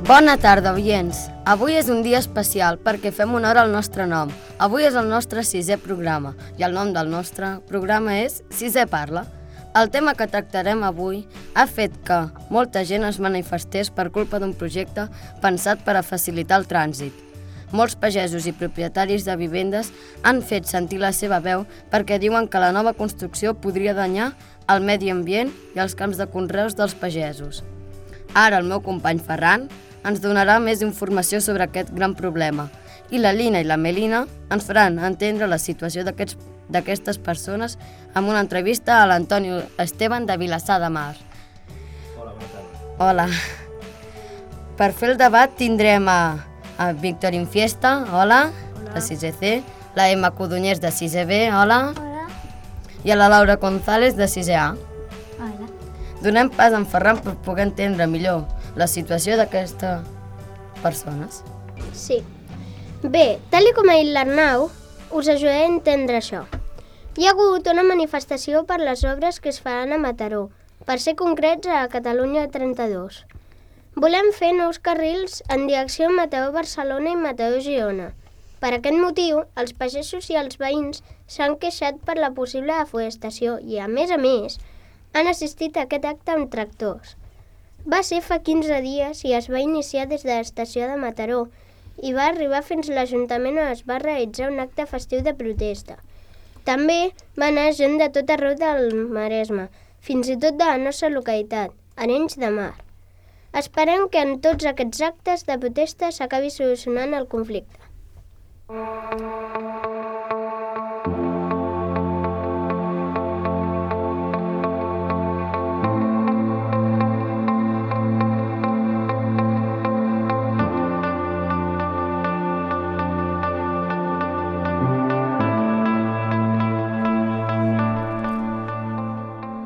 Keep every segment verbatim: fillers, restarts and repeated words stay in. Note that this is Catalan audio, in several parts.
Bona tarda, oients. Avui és un dia especial perquè fem honor al nostre nom. Avui és el nostre sisè programa i el nom del nostre programa és Sisè Parla. El tema que tractarem avui ha fet que molta gent es manifestés per culpa d'un projecte pensat per a facilitar el trànsit. Molts pagesos i propietaris de vivendes han fet sentir la seva veu perquè diuen que la nova construcció podria danyar el medi ambient i els camps de conreus dels pagesos. Ara el meu company Ferran ens donarà més informació sobre aquest gran problema i la Lina i la Melina ens faran entendre la situació d'aquests, d'aquestes persones amb una entrevista a l'Antoni Esteban de Vilassar de Mar. Hola, bona tarda. Hola. Per fer el debat tindrem a, a Víctor Infiesta, hola, hola, de sisè C, la Emma Codonyers de sisè B, hola, hola, i a la Laura González de sisè A. Hola. Donem pas a en Ferran per poder entendre millor la situació d'aquestes persones. Sí. Bé, tal com ha dit l'Arnau, us ajudaré a entendre això. Hi ha hagut una manifestació per les obres que es faran a Mataró, per ser concrets a Catalunya trenta-dos. Volem fer nous carrils en direcció a Mataró-Barcelona i Mataró-Girona. Per aquest motiu, els pagesos i els veïns s'han queixat per la possible deforestació i, a més a més, han assistit a aquest acte amb tractors. Va ser fa quinze dies i es va iniciar des de l'estació de Mataró i va arribar fins a l'Ajuntament on es va realitzar un acte festiu de protesta. També va anar gent de tot arreu del Maresme, fins i tot de la nostra localitat, Arenys de Mar. Esperem que en tots aquests actes de protesta s'acabi solucionant el conflicte.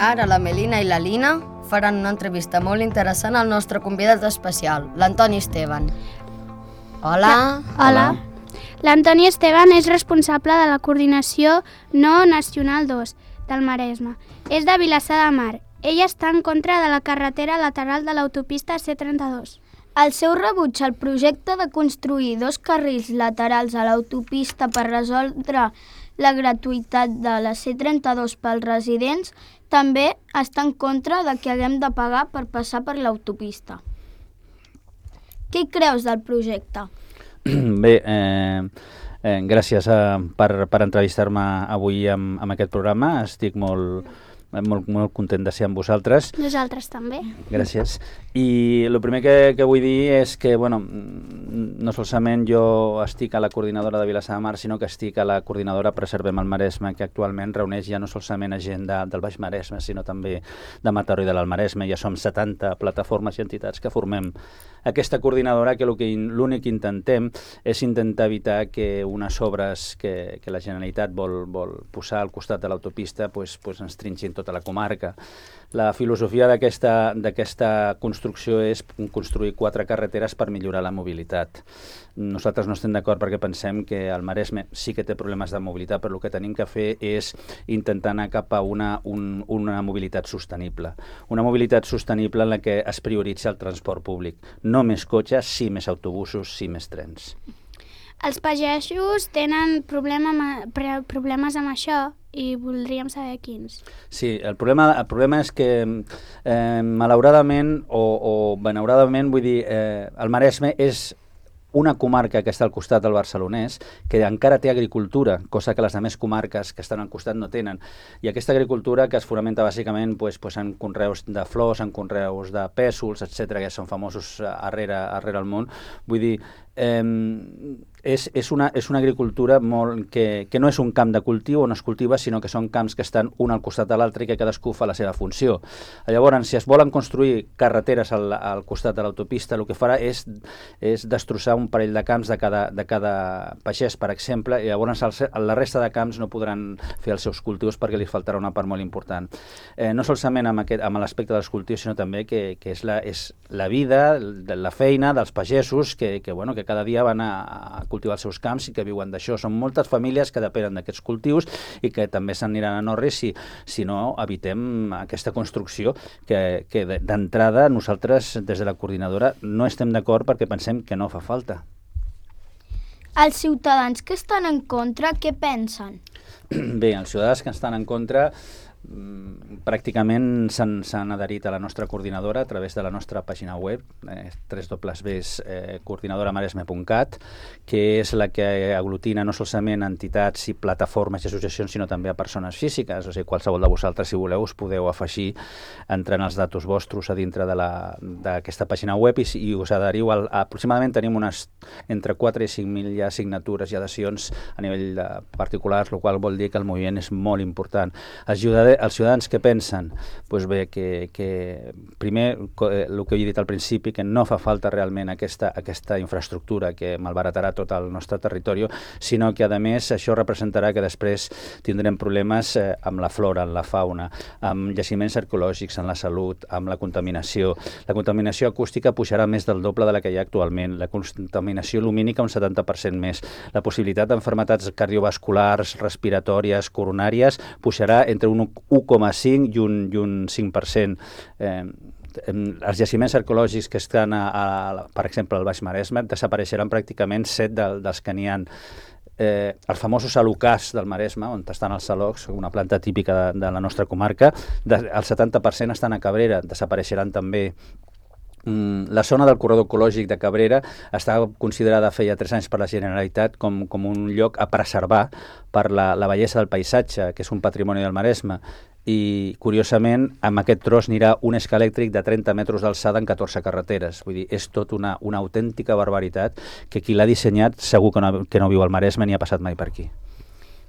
Ara la Melina i la Lina faran una entrevista molt interessant al nostre convidat especial, l'Antoni Esteban. Hola. Hola. L'Antoni Esteban és responsable de la coordinació No Nacional dos del Maresme. És de Vilassar de Mar. Ell està en contra de la carretera lateral de l'autopista C trenta-dos. El seu rebuig al projecte de construir dos carrils laterals a l'autopista per resoldre la gratuïtat de la C trenta-dos pels residents també està en contra de que haguem de pagar per passar per l'autopista. Què hi creus del projecte? Bé, eh, eh, gràcies a, per, per entrevistar-me avui amb, amb aquest programa. Estic molt, molt, molt content de ser amb vosaltres. Nosaltres també. Gràcies. I el primer que, que vull dir és que, bueno, no solament jo estic a la coordinadora de Vilassar de Mar, sinó que estic a la coordinadora Preservem el Maresme, que actualment reuneix ja no solament a gent de, del Baix Maresme, sinó també de Mataró i de l'Alt Maresme. Ja som setanta plataformes i entitats que formem aquesta coordinadora, que l'únic que intentem és intentar evitar que unes obres que, que la Generalitat vol, vol posar al costat de l'autopista pues, pues ens trinxin tota la comarca. La filosofia d'aquesta d'aquesta construcció és construir quatre carreteres per millorar la mobilitat. Nosaltres no estem d'acord perquè pensem que el Maresme sí que té problemes de mobilitat, però el que tenim que fer és intentar anar cap a una, un, una mobilitat sostenible. Una mobilitat sostenible en la que es prioritza el transport públic. No més cotxes, sí més autobusos, sí més trens. Els pagesos tenen problema, problemes amb això i voldríem saber quins. Sí, el problema, el problema és que eh, malauradament o, o benauradament, vull dir, eh, el Maresme és una comarca que està al costat del barcelonès, que encara té agricultura, cosa que les altres comarques que estan al costat no tenen. I aquesta agricultura que es fonamenta bàsicament pues, pues, en conreus de flors, en conreus de pèsols, etcètera, que són famosos arrere, arrere el món. Vull dir, eh, és, és, una, és una agricultura molt, que, que no és un camp de cultiu on es cultiva, sinó que són camps que estan un al costat de l'altre i que cadascú fa la seva funció. Llavors, si es volen construir carreteres al, al costat de l'autopista, el que farà és, és destrossar un parell de camps de cada, de cada pagès, per exemple, i llavors el, la resta de camps no podran fer els seus cultius perquè li faltarà una part molt important. Eh, no solament amb, aquest, amb l'aspecte dels cultius, sinó també que, que és, la, és la vida, la feina dels pagesos que, que, bueno, que cada dia van a, a cultivar els seus camps i que viuen d'això. Són moltes famílies que depenen d'aquests cultius i que també s'aniran a Norris si, si no evitem aquesta construcció que, que d'entrada nosaltres des de la coordinadora no estem d'acord perquè pensem que no fa falta. Els ciutadans que estan en contra, què pensen? Bé, els ciutadans que estan en contra pràcticament s'han adherit a la nostra coordinadora a través de la nostra pàgina web, eh, w w w punt coordinadora maresme punt cat, que és la que aglutina no solament entitats i plataformes i associacions, sinó també a persones físiques. O sigui, qualsevol de vosaltres, si voleu, us podeu afegir entrant els datos vostres a dintre d'aquesta pàgina web i, i us adheriu. Al, aproximadament tenim unes entre quatre i cinc mil ja signatures i adhesions a nivell de particulars, el qual vol dir que el moviment és molt important. Ajuda els ciutadans que pensen, doncs bé, que, que primer, el que he dit al principi, que no fa falta realment aquesta, aquesta infraestructura que malbaratarà tot el nostre territori, sinó que, a més, això representarà que després tindrem problemes eh, amb la flora, amb la fauna, amb jaciments arqueològics, amb la salut, amb la contaminació. La contaminació acústica pujarà més del doble de la que hi ha actualment, la contaminació lumínica un setanta per cent més, la possibilitat d'enfermetats cardiovasculars, respiratòries, coronàries, pujarà entre un u coma cinc i un, i un cinc per cent. Eh, els jaciments arqueològics que estan, a, a, per exemple, al Baix Maresme, desapareixeran pràcticament set de, dels que n'hi ha. Eh, els famosos alocars del Maresme, on estan els salocs, una planta típica de, de la nostra comarca, de, el setanta per cent estan a Cabrera, desapareixeran també. La zona del corredor ecològic de Cabrera està considerada feia tres anys per la Generalitat com, com un lloc a preservar per la, la bellesa del paisatge, que és un patrimoni del Maresme. I, curiosament, amb aquest tros anirà un escà elèctric de trenta metres d'alçada en catorze carreteres. Vull dir, és tot una, una autèntica barbaritat que qui l'ha dissenyat segur que no, que no viu al Maresme ni ha passat mai per aquí.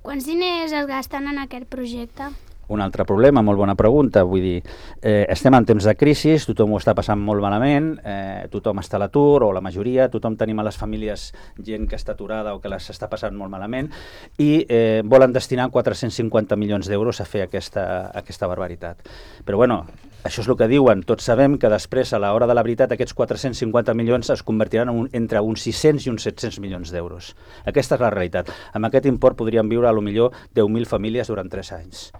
Quants diners es gasten en aquest projecte? Un altre problema, molt bona pregunta, vull dir, eh, estem en temps de crisi, tothom ho està passant molt malament, eh, tothom està a l'atur, o la majoria, tothom tenim a les famílies gent que està aturada o que les està passant molt malament, i eh, volen destinar quatre-cents cinquanta milions d'euros a fer aquesta, aquesta barbaritat. Però bueno, això és el que diuen, tots sabem que després, a l'hora de la veritat, aquests quatre-cents cinquanta milions es convertiran en un, entre uns sis-cents i uns set-cents milions d'euros. Aquesta és la realitat. Amb aquest import podrien viure a lo millor deu mil famílies durant tres anys.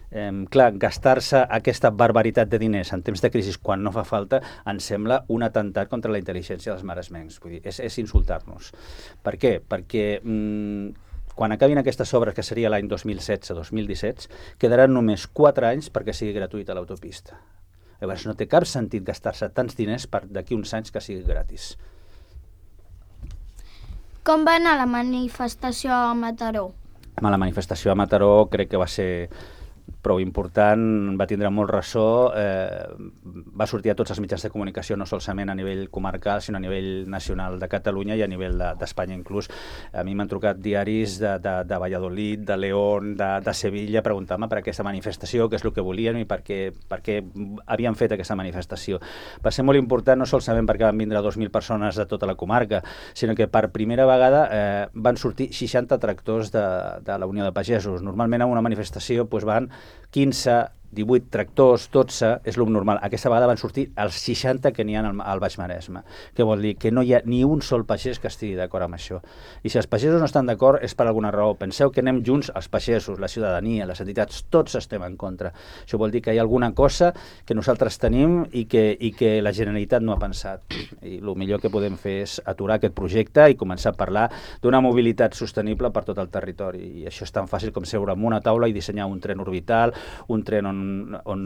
Eh, clar, gastar-se aquesta barbaritat de diners en temps de crisi quan no fa falta ens sembla un atemptat contra la intel·ligència dels maresmencs. Vull dir, és, és insultar-nos. Per què? Perquè mm, quan acabin aquestes obres, que seria l'any dos mil setze dos mil disset, quedaran només quatre anys perquè sigui gratuïta l'autopista. Llavors no té cap sentit gastar-se tants diners per d'aquí uns anys que sigui gratis. Com va anar la manifestació a Mataró? La manifestació a Mataró crec que va ser prou important, va tindre molt ressò, eh, va sortir a tots els mitjans de comunicació, no solament a nivell comarcal, sinó a nivell nacional de Catalunya i a nivell d'Espanya de, inclús. A mi m'han trucat diaris de, de, de Valladolid, de León, de, de Sevilla, preguntant-me per aquesta manifestació, què és el que volien i per què, per què havien fet aquesta manifestació. Va ser molt important, no solament perquè van vindre dos mil persones de tota la comarca, sinó que per primera vegada eh, van sortir seixanta tractors de, de la Unió de Pagesos. Normalment a una manifestació doncs, van quinze, divuit tractors, dotze, és el normal. Aquesta vegada van sortir els seixanta que n'hi ha al, al Baix Maresme. Què vol dir? Que no hi ha ni un sol pagès que estigui d'acord amb això. I si els pagesos no estan d'acord és per alguna raó. Penseu que anem junts els pagesos, la ciutadania, les entitats, tots estem en contra. Això vol dir que hi ha alguna cosa que nosaltres tenim i que, i que la Generalitat no ha pensat. I el millor que podem fer és aturar aquest projecte i començar a parlar d'una mobilitat sostenible per tot el territori. I això és tan fàcil com seure en una taula i dissenyar un tren orbital, un tren on On, on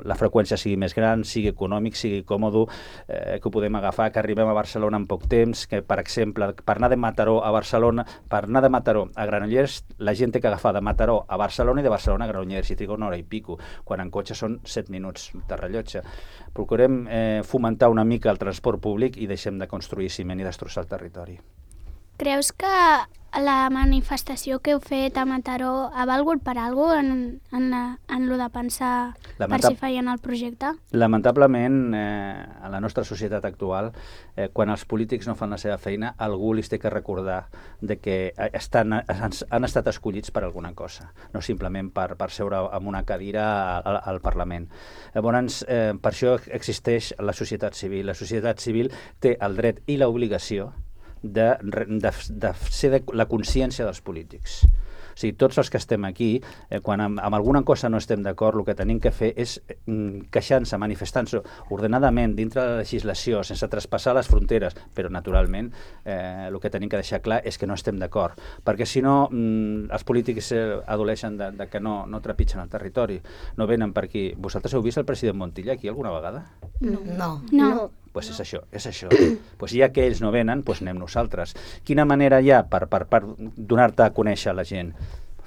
la freqüència sigui més gran, sigui econòmic, sigui còmode, eh, que ho podem agafar, que arribem a Barcelona en poc temps, que, per exemple, per anar de Mataró a Barcelona, per anar de Mataró a Granollers, la gent té que agafar de Mataró a Barcelona i de Barcelona a Granollers, i triga una hora i pico, quan en cotxe són set minuts de rellotge. Procurem eh, fomentar una mica el transport públic i deixem de construir ciment i destrossar el territori. Creus que la manifestació que heu fet a Mataró ha valgut per alguna cosa en, en, en lo de pensar Lamentab... per si feien el projecte? Lamentablement, eh, en la nostra societat actual, eh, quan els polítics no fan la seva feina, algú li té que recordar de que estan, han, han estat escollits per alguna cosa, no simplement per, per seure en una cadira al, al Parlament. Llavors, eh, per això existeix la societat civil. La societat civil té el dret i l'obligació de, de, de ser de la consciència dels polítics. O sigui, tots els que estem aquí, eh, quan amb, amb alguna cosa no estem d'acord, el que tenim que fer és mm, queixar-se, manifestar-se ordenadament dintre de la legislació, sense traspassar les fronteres, però naturalment eh, el que tenim que deixar clar és que no estem d'acord, perquè si no mm, els polítics eh, adoleixen de, de que no, no trepitgen el territori, no venen per aquí. Vosaltres heu vist el president Montilla aquí alguna vegada? No. No. No. Pues és això, és això. Pues ja que ells no venen, pues anem nosaltres. Quina manera hi ha per, per, per donar-te a conèixer a la gent?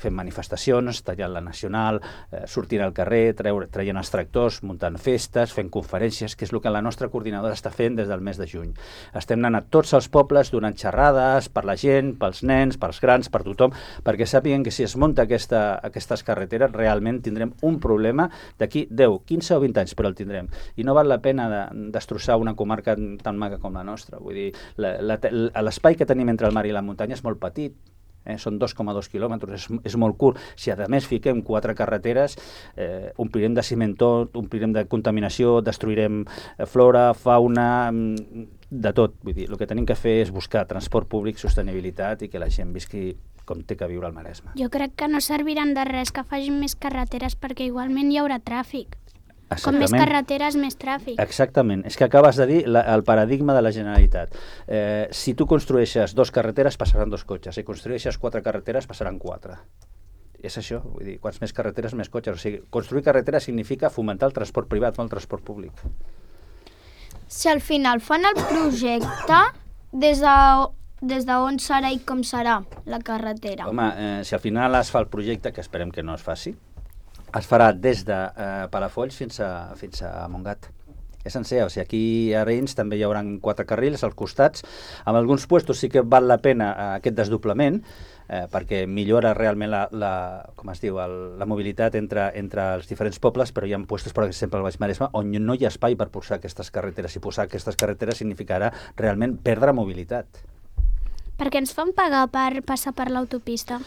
Fent manifestacions, tallant la Nacional, eh, sortint al carrer, treure, traient els tractors, muntant festes, fent conferències, que és el que la nostra coordinadora està fent des del mes de juny. Estem anant a tots els pobles donant xerrades per la gent, pels nens, pels grans, per tothom, perquè sàpiguen que si es munta aquesta, aquestes carreteres realment tindrem un problema d'aquí deu, quinze o vint anys, però el tindrem. I no val la pena de, destrossar una comarca tan maca com la nostra. Vull dir, l'espai que tenim entre el mar i la muntanya és molt petit. Eh, són dos coma dos quilòmetres, és, és molt curt. Si a més fiquem quatre carreteres, eh, omplirem de cimentó, omplirem de contaminació, destruirem eh, flora, fauna, de tot. Vull dir, el que tenim que fer és buscar transport públic, sostenibilitat i que la gent visqui com té que viure al Maresme. Jo crec que no serviran de res que facin més carreteres perquè igualment hi haurà tràfic. Com més carreteres, més tràfic. Exactament. És que acabes de dir la, el paradigma de la Generalitat. Eh, si tu construeixes dos carreteres, passaran dos cotxes. Si construeixes quatre carreteres, passaran quatre. És això. Vull dir, quants més carreteres, més cotxes. O sigui, construir carreteres significa fomentar el transport privat, no el transport públic. Si al final fan el projecte, des de, des d'on serà i com serà la carretera? Home, eh, si al final es fa el projecte, que esperem que no es faci, es farà des de eh, Palafolls fins a, fins a Montgat. És sencer, o sigui, aquí a Arenys també hi haurà quatre carrils als costats. En alguns puestos sí que val la pena eh, aquest desdoblament, eh, perquè millora realment la, la, com es diu, el, la mobilitat entre, entre els diferents pobles, però hi ha puestos, per exemple, al Baix Maresme, on no hi ha espai per posar aquestes carreteres. I posar aquestes carreteres significarà realment perdre mobilitat. Perquè ens fan pagar per passar per l'autopista.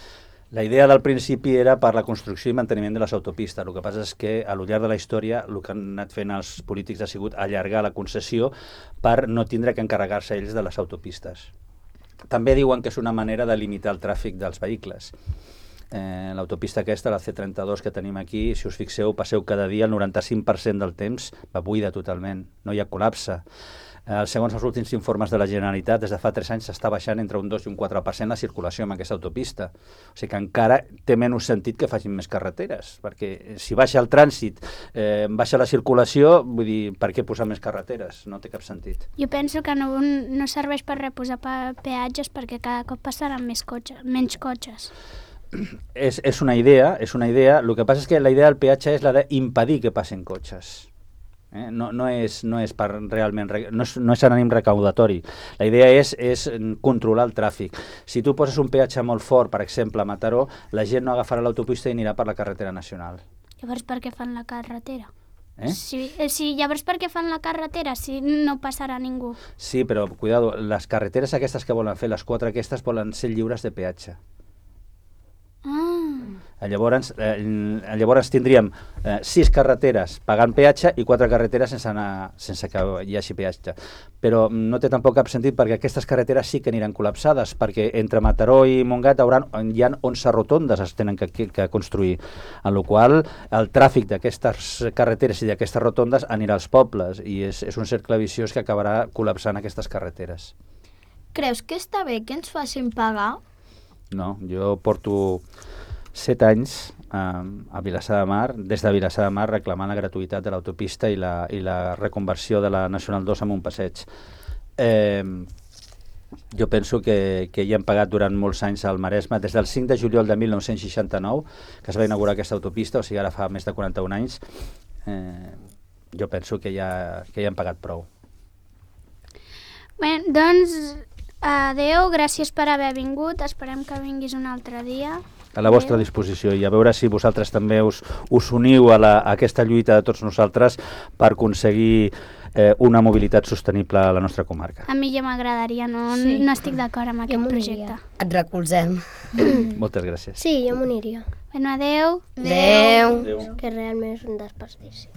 La idea del principi era per la construcció i manteniment de les autopistes. El que passa és que a lo llarg de la història el que han anat fent els polítics ha sigut allargar la concessió per no tindre que encarregar-se ells de les autopistes. També diuen que és una manera de limitar el tràfic dels vehicles. Eh, l'autopista aquesta, la C trenta-dos que tenim aquí, si us fixeu, passeu cada dia, el noranta-cinc per cent del temps va buida totalment, no hi ha col·lapse. Eh, segons els últims informes de la Generalitat, des de fa tres anys s'està baixant entre un dos i un quatre per cent la circulació amb aquesta autopista. O sigui que encara té menys sentit que facin més carreteres, perquè si baixa el trànsit, eh, baixa la circulació, vull dir, per què posar més carreteres? No té cap sentit. Jo penso que no, no serveix per reposar peatges perquè cada cop passaran més cotxes, menys cotxes. És, és una idea, és una idea. El que passa és que la idea del peatge és la d'impedir que passin cotxes. Eh? No, no, és, no és per realment, no és, no és ànim recaudatori. La idea és, és controlar el tràfic. Si tu poses un peatge molt fort, per exemple, a Mataró, la gent no agafarà l'autopista i anirà per la carretera nacional. Llavors per què fan la carretera? Eh? Sí, sí, llavors per què fan la carretera si no passarà ningú? Sí, però cuidado, les carreteres aquestes que volen fer, les quatre aquestes, volen ser lliures de peatge. Ah. Llavors, eh, llavors tindríem eh, sis carreteres pagant peatge i quatre carreteres sense, anar, sense que hi hagi peatge. Però no té tampoc cap sentit perquè aquestes carreteres sí que aniran col·lapsades, perquè entre Mataró i Montgat hauran, hi ha onze rotondes es tenen que, que, que construir, en la qual el tràfic d'aquestes carreteres i d'aquestes rotondes anirà als pobles i és, és un cercle viciós que acabarà col·lapsant aquestes carreteres. Creus que està bé que ens facin pagar? No, jo porto set anys eh, a Vilassar de Mar, des de Vilassar de Mar, reclamant la gratuïtat de l'autopista i, la, i la reconversió de la Nacional dos en un passeig. Eh, jo penso que, que hi hem pagat durant molts anys al Maresme, des del cinc de juliol de mil nou-cents seixanta-nou, que es va inaugurar aquesta autopista, o sigui, ara fa més de quaranta-un anys, eh, jo penso que ja, que ja hem pagat prou. Bé, doncs, adeu, gràcies per haver vingut, esperem que vinguis un altre dia. A la vostra disposició i a veure si vosaltres també us, us uniu a, la, a aquesta lluita de tots nosaltres per aconseguir eh, una mobilitat sostenible a la nostra comarca. A mi ja m'agradaria, no, Sí. no estic d'acord amb aquest projecte. Et recolzem. Moltes gràcies. Sí, jo m'uniria. Bueno, adeu. Adeu. Adéu. Que realment és un desperdici.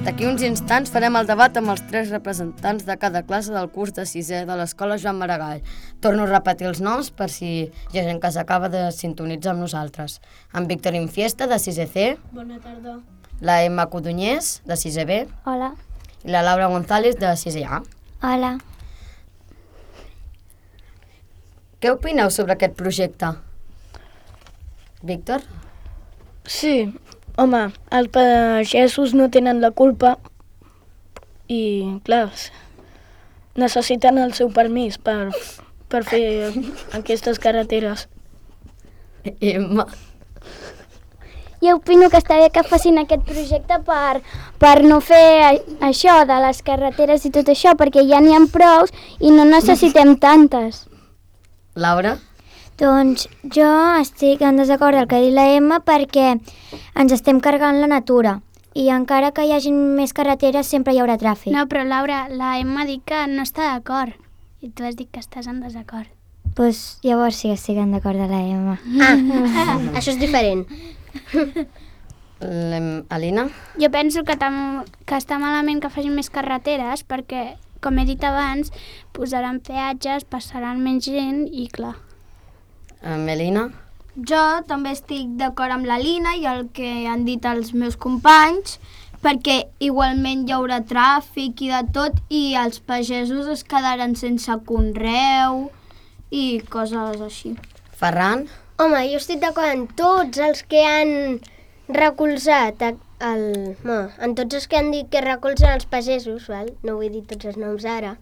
D'aquí uns instants farem el debat amb els tres representants de cada classe del curs de sisè de l'Escola Joan Maragall. Torno a repetir els noms per si hi ha gent que s'acaba de sintonitzar amb nosaltres. En Víctor Infiesta, de sisè C. Bona tarda. La Emma Codunyés, de sisè B. Hola. I la Laura González, de sisè A. Hola. Què opineu sobre aquest projecte? Víctor? Sí, home, els pagesos no tenen la culpa i, clar, necessiten el seu permís per, per fer aquestes carreteres. Emma? Jo opino que està bé que facin aquest projecte per, per no fer això de les carreteres i tot això, perquè ja n'hi ha prous i no necessitem tantes. Laura? Doncs jo estic en desacord del que ha dit la Emma perquè ens estem carregant la natura i encara que hi hagi més carreteres sempre hi haurà tràfic. No, però Laura, la Emma ha dit que no està d'acord i tu has dit que estàs en desacord. Doncs pues, llavors sí que estic en d'acord de la Emma. Ah, això és diferent. Alina? Jo penso que, tam, que està malament que facin més carreteres perquè, com he dit abans, posaran peatges, passaran menys gent i clar. Melina? Jo també estic d'acord amb la Lina i el que han dit els meus companys, perquè igualment hi haurà tràfic i de tot i els pagesos es quedaran sense conreu i coses així. Ferran? Home, jo estic d'acord amb tots els que han recolzat, el, no, en tots els que han dit que recolzen els pagesos, val? No vull dir tots els noms ara,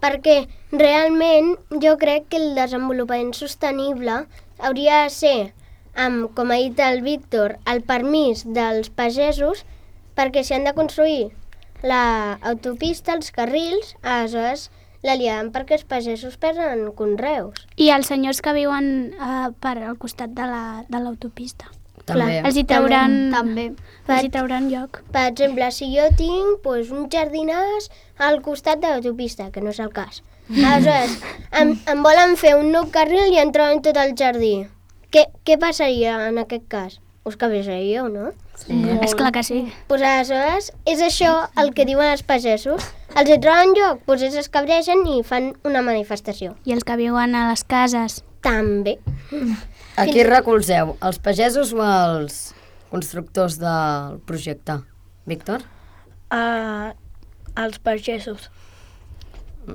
perquè realment jo crec que el desenvolupament sostenible hauria de ser, amb, com ha dit el Víctor, el permís dels pagesos, perquè si han de construir l'autopista, els carrils, aleshores la liaran perquè els pagesos perden conreus. I els senyors que viuen eh, per al costat de l'autopista. La, També. els hi trauran, També. els hi trauran lloc. Per exemple, si jo tinc pues, un jardinàs al costat de l'autopista, que no és el cas. Aleshores, em, em volen fer un nou carril i em troben tot el jardí. Què, què passaria en aquest cas? Us cabrejaríeu, no? Sí. És clar que sí. Pues aleshores, és això el que diuen els pagesos. Els hi troben lloc, doncs ells es cabregen i fan una manifestació. I els que viuen a les cases. També. A qui recolzeu? Els pagesos o els constructors del projecte? Víctor? Uh, els pagesos.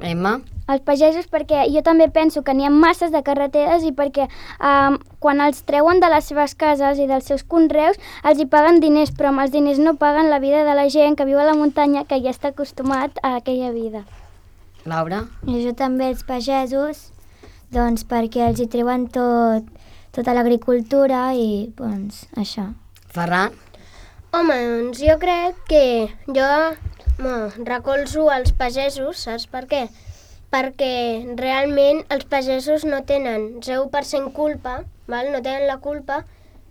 Emma? Els pagesos perquè jo també penso que n'hi ha masses de carreteres i perquè um, quan els treuen de les seves cases i dels seus conreus els hi paguen diners, però amb els diners no paguen la vida de la gent que viu a la muntanya que ja està acostumat a aquella vida. Laura? I jo també els pagesos, doncs perquè els hi treuen tot, tota l'agricultura i doncs això. Ferran? Home, doncs jo crec que jo no, recolzo els pagesos, saps per què? Perquè realment els pagesos no tenen zero per cent culpa, val? No tenen la culpa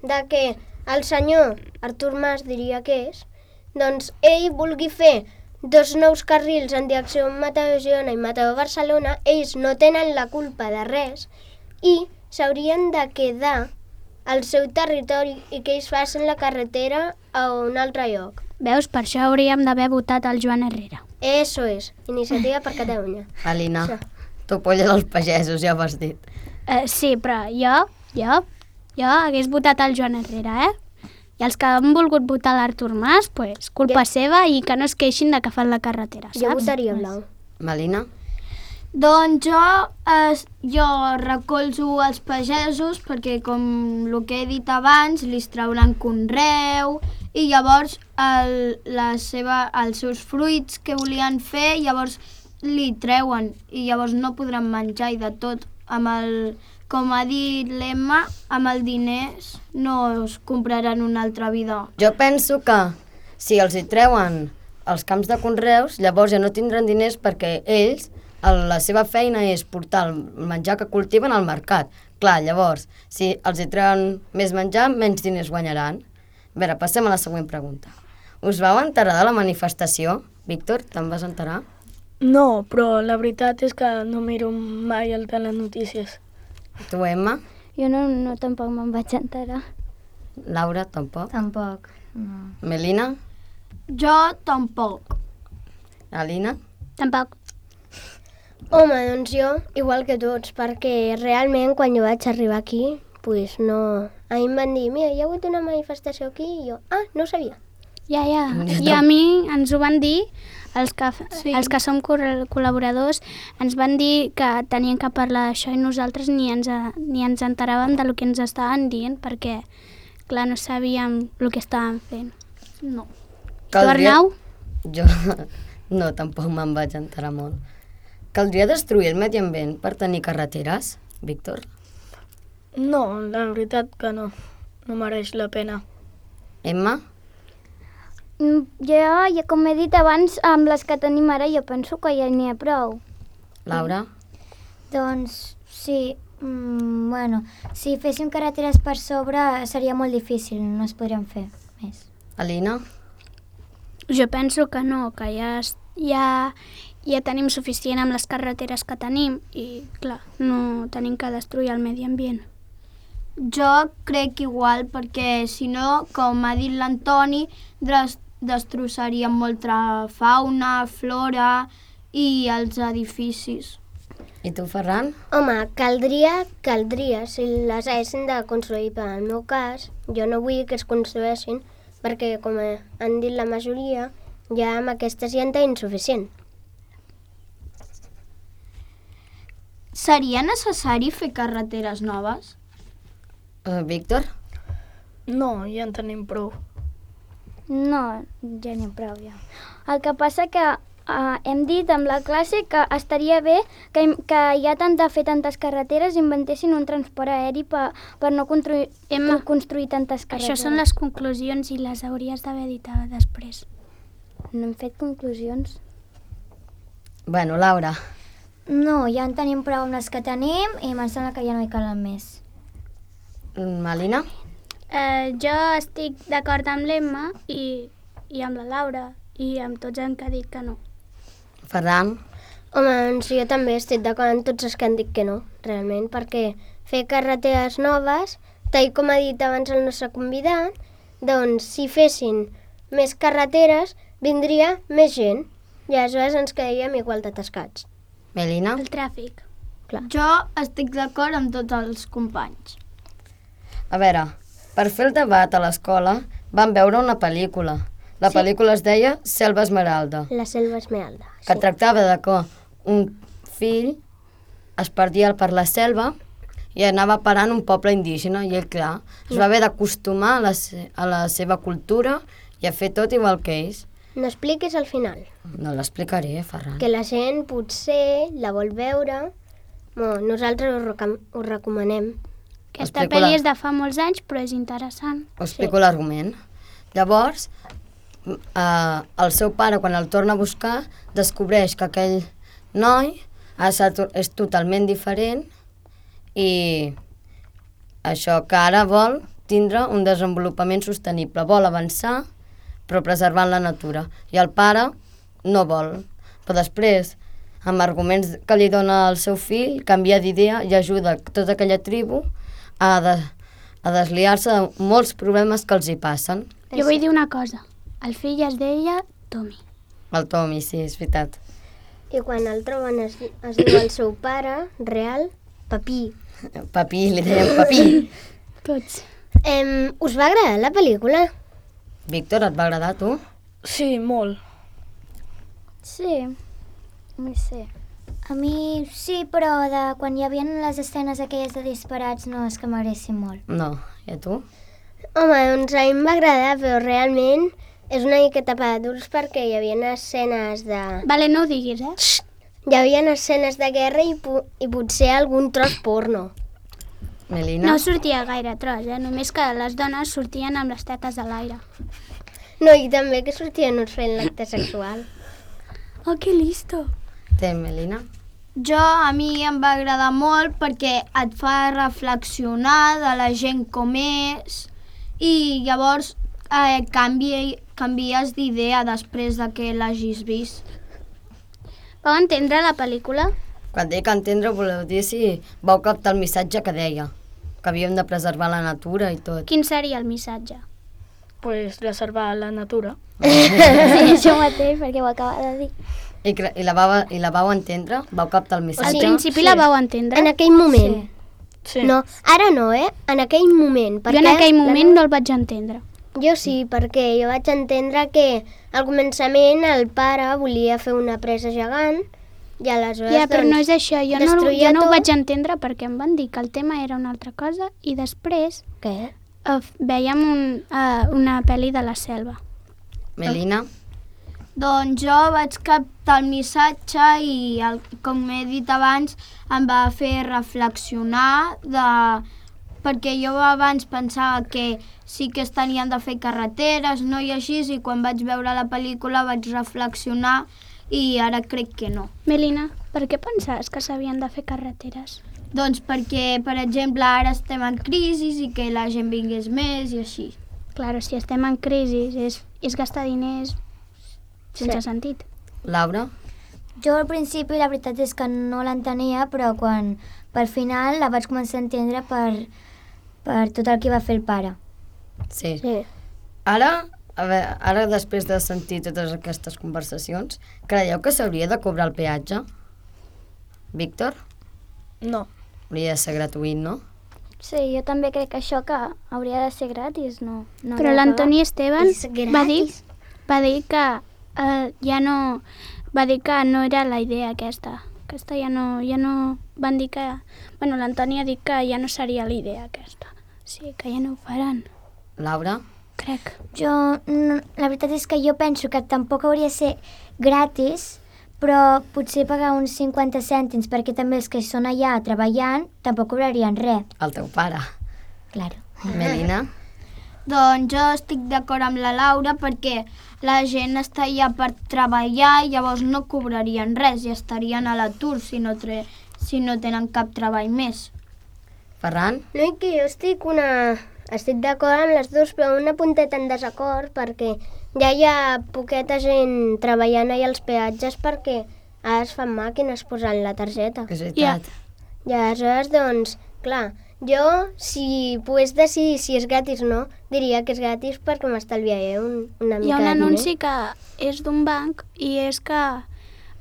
de que el senyor Artur Mas, diria que és, doncs ell vulgui fer dos nous carrils en direcció Mataró-Girona i Mataró-Barcelona, ells no tenen la culpa de res i s'haurien de quedar al seu territori i que ells facin la carretera a un altre lloc. Veus, per això hauríem d'haver votat el Joan Herrera. Eso és, Iniciativa per Catalunya. Alina? Això. Tu polla dels pagesos, ja ho has dit. Eh, sí, però jo, jo, jo hagués votat el Joan Herrera, eh? I els que han volgut votar l'Artur Mas, pues, culpa Jo- seva i que no es queixin de que fan la carretera, saps? Jo votaria blau. Melina? Doncs jo, eh, jo recolzo els pagesos perquè, com el que he dit abans, li trauran conreu i llavors el, la seva, els seus fruits que volien fer, llavors li treuen i llavors no podran menjar i de tot. Amb el, com ha dit l'Emma, amb el diners no es compraran una altra vida. Jo penso que si els hi treuen els camps de conreus, llavors ja no tindran diners perquè ells, el- la seva feina és portar el menjar que cultiven al mercat. Clar, llavors, si els hi treuen més menjar, menys diners guanyaran. A veure, passem a la següent pregunta. Us vau enterar de la manifestació? Víctor, te'n vas enterar? No, però la veritat és que no miro mai el telenotícies. Tu, Emma? Jo no, no tampoc me'n vaig enterar. Laura, tampoc? Tampoc. No. Melina? Jo tampoc. Alina? Tampoc. Home, doncs jo, igual que tots, perquè realment quan jo vaig arribar aquí, pues no... A mi em van dir, mira, hi ha hagut una manifestació aquí, i jo, ah, no ho sabia. Ja, ja. I a mi ens ho van dir, els que, sí. els que som col·laboradors, ens van dir que tenien que parlar d'això i nosaltres ni ens, ni ens enteràvem del que ens estaven dient, perquè, clar, no sabíem el que estàvem fent. No. Caldria... Tu, Arnau? Jo no, tampoc me'n vaig enterar molt. Caldria destruir el medi ambient per tenir carreteres, Víctor? No, la veritat que no. No mereix la pena. Emma? Mm, Jo, ja com he dit abans, amb les que tenim ara, jo penso que ja n'hi ha prou. Laura? Doncs sí, mm, bueno, si féssim carreteres per sobre seria molt difícil, no es podrien fer més. Alina? Jo penso que no, que ja, es- ja, ja tenim suficient amb les carreteres que tenim i, clar, no tenim que destruir el medi ambient. Jo crec igual, perquè si no, com ha dit l'Antoni, des destrossaríem molta fauna, flora i els edificis. I tu, Ferran? Home, caldria, caldria, si les haguessin de construir, per al meu cas, jo no vull que es construeixin, perquè, com han dit la majoria, ja amb aquestes ja en tenim suficient. Seria necessari fer carreteres noves? Uh, Víctor? No, ja en tenim prou. No, ja n'hi ha prou, ja. El que passa que uh, hem dit amb la classe que estaria bé que, que ja tant de fer tantes carreteres inventessin un transport aeri per, per no construir, Emma, construir tantes carreteres. Això són les conclusions i les hauries d'haver dit després. No hem fet conclusions. Bueno, Laura. No, ja en tenim prou amb les que tenim i em sembla que ja no hi calen més. Mm, Alina? Eh, jo estic d'acord amb l'Emma i, i amb la Laura i amb tots els que han dit que no. Ferran? Home, doncs jo també estic d'acord amb tots els que han dit que no, realment, perquè fer carreteres noves, tal com ha dit abans el nostre convidat, doncs si fessin més carreteres, vindria més gent i aleshores ens quedaríem igual d'atascats. Melina? El tràfic. Jo estic d'acord amb tots els companys. A veure, per fer el debat a l'escola vam veure una pel·lícula. La Sí. pel·lícula es deia Selva Esmeralda, La selva esmeralda. que tractava de que un fill es perdia per la selva i anava parant un poble indígena i ell, clar, es va haver d'acostumar a, la se- a la seva cultura i a fer tot igual que ells. No expliquis al final, No l'explicaré, Ferran. que la gent potser la vol veure. Bueno, nosaltres ho, recom ho recomanem. Aquesta Explico pel·li la- és de fa molts anys, però és interessant. Us explico l'argument. Llavors, eh, el seu pare, quan el torna a buscar, descobreix que aquell noi ha estat, és totalment diferent i això que ara vol tindre un desenvolupament sostenible. Vol avançar, però preservant la natura. I el pare no vol. Però després, amb arguments que li dona el seu fill, canvia d'idea i ajuda tota aquella tribu a, de, a desliar-se de molts problemes que els hi passen. Jo vull dir una cosa. El fill es deia Tommy. El Tommy, sí, és veritat. I quan el troben es, es diu el seu pare, real, Papí. Papí, li deien Papí. Tots. Em, us va agradar la pel·lícula? Víctor, et va agradar a tu? Sí, molt. Sí, no sé. A mi sí, però de quan hi havia les escenes aquelles de disparats no és que m'agressin molt. No. I a tu? Home, doncs a mi em va agradar, però realment és una miqueta per adults perquè hi havia escenes de... Vale, no ho diguis, eh? Hi havia escenes de guerra i, po i potser algun tros porno. Melina? No sortia gaire tros, eh? Només que les dones sortien amb les tetes a l'aire. No, i també que sortien uns fent l'acte sexual. Oh, que listo! Té, Melina? Jo, a mi em va agradar molt perquè et fa reflexionar de la gent com és i llavors eh, canvi, canvies d'idea després de que l'hagis vist. Vau entendre la pel·lícula? Quan dic entendre, voleu dir si vau captar el missatge que deia, que havíem de preservar la natura i tot. Quin seria el missatge? pues, reservar la natura. Sí, això mateix, perquè ho acaba de dir. I, cre- i, la vau, I la vau entendre? Vau captar el Al missatge? principi la vau entendre. En aquell moment. Sí. No, ara no, eh? En aquell moment. Jo en aquell moment no el vaig entendre. Jo sí, perquè jo vaig entendre que al començament el pare volia fer una presa gegant i aleshores, Ja, però doncs, no és això. Jo no, destruïa jo no ho tot. vaig entendre perquè em van dir que el tema era una altra cosa i després Què? eh, veiem un, uh, una pel·li de la selva. Melina? Doncs jo vaig captar el missatge i, el, com he dit abans, em va fer reflexionar de... perquè jo abans pensava que sí que es tenien de fer carreteres, no i així, i quan vaig veure la pel·lícula vaig reflexionar i ara crec que no. Melina, per què pensaves que s'havien de fer carreteres? Doncs perquè, per exemple, ara estem en crisi i que la gent vingués més i així. Claro, si estem en crisi és, és gastar diners sense Sí. sentit. Laura? Jo al principi la veritat és que no l'entenia, però quan per final la vaig començar a entendre per, per tot el que va fer el pare. Sí. Sí. Ara, a veure, ara després de sentir totes aquestes conversacions, creieu que s'hauria de cobrar el peatge? Víctor? No. Hauria de ser gratuït, no? Sí, jo també crec que això que hauria de ser gratis, no. no Però l'Antoni Esteban És va dir, gratis. va dir que eh, ja no... Va dir que no era la idea aquesta. Aquesta ja no... Ja no van dir que... Bueno, l'Antoni ha dit que ja no seria la idea aquesta. Sí, que ja no ho faran, Laura? crec. Jo, no, la veritat és que jo penso que tampoc hauria de ser gratis, però potser pagar uns cinquanta cèntims, perquè també els que són allà treballant tampoc cobrarien res. El teu pare. Claro. Melina? Doncs jo estic d'acord amb la Laura perquè la gent està allà per treballar i llavors no cobrarien res i estarien a l'atur si, no tre- si no tenen cap treball més. Ferran? No, i que jo estic una... Estic d'acord amb les dues, però una punteta en desacord, perquè ja hi ha poqueta gent treballant allà als peatges perquè ara es fan màquines posant la targeta. És veritat. I aleshores, doncs, clar, jo, si pogués decidir si és gratis o no, diria que és gratis perquè m'estalviaré un, una Hi mica ha un de anunci diner. que és d'un banc i és que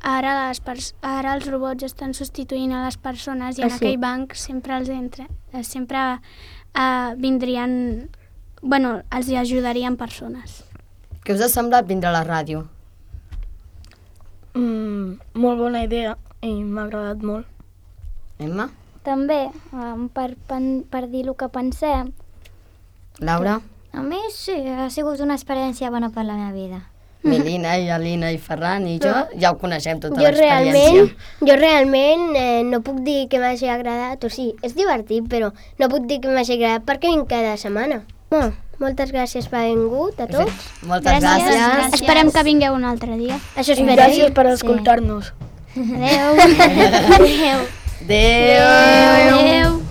ara, les pers- ara els robots estan substituint a les persones i Ah, en sí? aquell banc sempre els entra, eh, sempre eh, vindrien, bueno, els hi ajudarien persones. Què us ha semblat vindre a la ràdio? Mm, molt bona idea i m'ha agradat molt. Emma? També, um, per, pen- per dir el que pensem, Laura? A mi sí, ha sigut una experiència bona per la meva vida. Melina i Alina i Ferran i jo ja ho coneixem tota Jo realment, l'experiència. jo realment eh, no puc dir que m'hagi agradat, o sigui, és divertit, però no puc dir que m'hagi agradat perquè vinc cada setmana. Bueno, moltes gràcies per haver vingut a tots. Moltes gràcies. gràcies. Esperem que vingueu un altre dia. Això I esperem. gràcies per escoltar-nos. adeu. Adéu. Adéu.